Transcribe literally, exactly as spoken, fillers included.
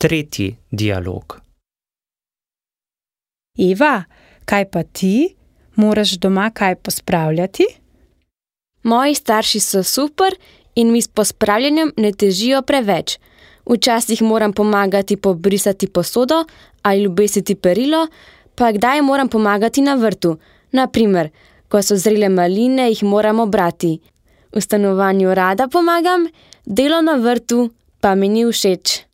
tretji dialog. Eva, kaj pa ti? Moraš doma kaj pospravljati? Moji starši so super in mi s pospravljanjem ne težijo preveč. Včasih moram pomagati pobrisati posodo ali obesiti perilo, pa kdaj moram pomagati na vrtu. Na primer, ko so zrele maline, jih moramo brati. V stanovanju rada pomagam, delo na vrtu pa mi ni všeč.